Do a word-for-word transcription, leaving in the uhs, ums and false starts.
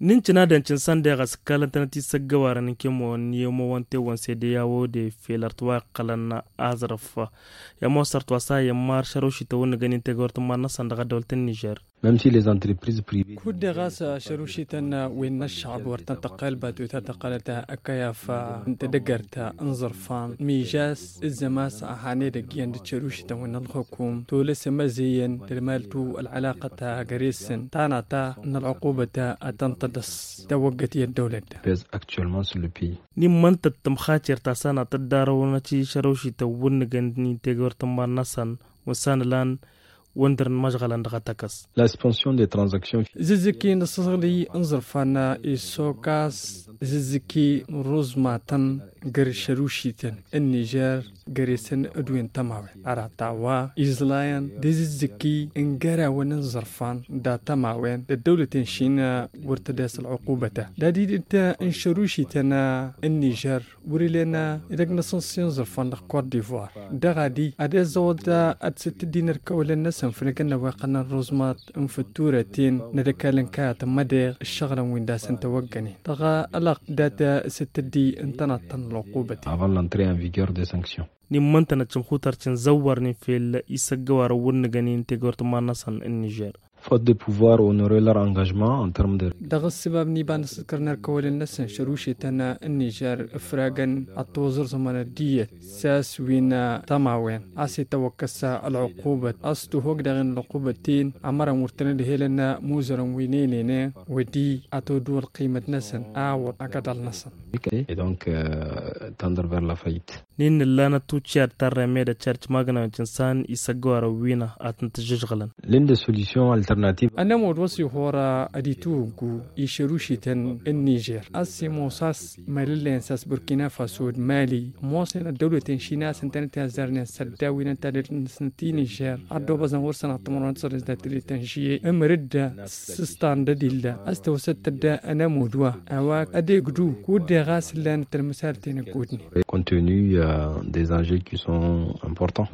N-incinadăn cinsan deɣ a-s ǝkkalăn-tănăt isăggăwarăn n-kemăwăn n-i-ămowăn tewăn sedeyawo de fel ărtwa iqqălăn aẓrǝf. I-ămoos ărtwa s-a iyyăn mar šărušităn wǝnnǝgăn-in tegăwăr tǝmman-năsăn dăɣ-ăddăwlăt n-nižer. Même si les entreprises privées. Kud-deɣ a-s šărušităn wi n-ăššăɣb wăr tăn-tăqqăl batuta tăqqălăt ăkăyaf n-tedăgărt n-iẓrǝfan mižas ǝzzăm a-s a han edăgg iyyăn d-šărušităn wi n-ălxukum tolăs ămăzeyăn d-ălmaltu ălɣălaqăt găre-săn tanata n-ălɣuqubăt a tăn-tădăs tawăggăt i-ăddăwlăt. Pez actuellement sur le pays. N-immăntăt tămxater ta s-anăt dd-arăwnăt i-šărăwšităn wǝnnǝgăn-in tegăwăr tǝmman-năsăn wăssan ǝlan wăndărăn măžɣălăn dăɣ-tăkăs. La suspension des transactions. Zǝzzǝki n-asăẓɣǝlǝy n-iẓrǝfan issokas zǝzzǝki n-ruẓmatăn găr-išărušităn n-nižer găre-săn d-wen tămawen arăt a-wa iẓlayăn d-izǝzzǝki n-gărawăn n-iẓrǝfan dat-tămawen d-ăddăwlăt n-išin wăr tădes ălɣuqubăt. Dad-idǝt n-išărušităn n-nižer wăr-ǝlen edăgg n-asǝnsi n-iẓrǝfan dăɣ-kot divoir dăɣ-adi ad-iẓẓăwăḍ ad-sǝttǝddin ărkăwălăn-năsăn făll-egăn n-ăwweqqăn n-ruẓmat n-fătturăten n-ad-ăkall n-kayăt n-mădeɣ ǝššăɣǝlăn wi n-dasăn tawăggănen dăɣ-alăɣ dat-sǝttǝddi n-tănaḍt ta n-ălɣuqubăt. Avant l'entrée en vigueur des sanctions. N-immăntănăt šǝmxutărcin zăwwărnen fel isăggăwarăn wăr nǝgănen tegăwăr tǝmman-năsăn n-nižer. Faute de pouvoir honorer leur engagement en terme de. Dăɣ-ǝssǝbab n-iba n-asǝḍkăr n-ărkăwălăn-năsăn šărušetăn n-nižer ǝfragăn ad-toẓǝrẓǝmăn ăddiyăt s-a-s wi n-tămawen a-s itawăkkăs ălɣuqubăt a-s tuhog daɣ-en ălɣuqubăt-ten ămărăn wăr tăn-ădhelăn imuzărăn wi n-enene wăddi ad-todǝw ălqimăt-năsăn a wăr agăḍal-năsăn. Et donc tendre vers la faillite. N-innă ǝllanăt tuččiyar tarrem edăt šarc magnawen cinsan isăggăwarăn wină ad-tăn-tǝžžǝžɣǝlăn. L'une des solutions alternatives. Ănămod wa s-ihor ad-ituwǝggu išărušităn n-nižer a-s imoos a-s mălăllăyăn s-a-s burkina faso d-mali ămoosnen ăddăwlăten šina a-s ǝntănăt i-azzarnen s-ăddaw-i n-ăntadăt-năsnăt i-nižer ad-dd-obăẓăn wăr săn ad-tămărăn s-ălăzdăt d-itănžiyye ǝmrǝd s-ǝstan d-ădilla a-s tăwăsăt tădda ănămud wa a-wa ad-egdu kud-deɣ a-s ǝllanăt ălmǝsarăten ăggoodnen. Compte tenu des enjeux qui sont importants.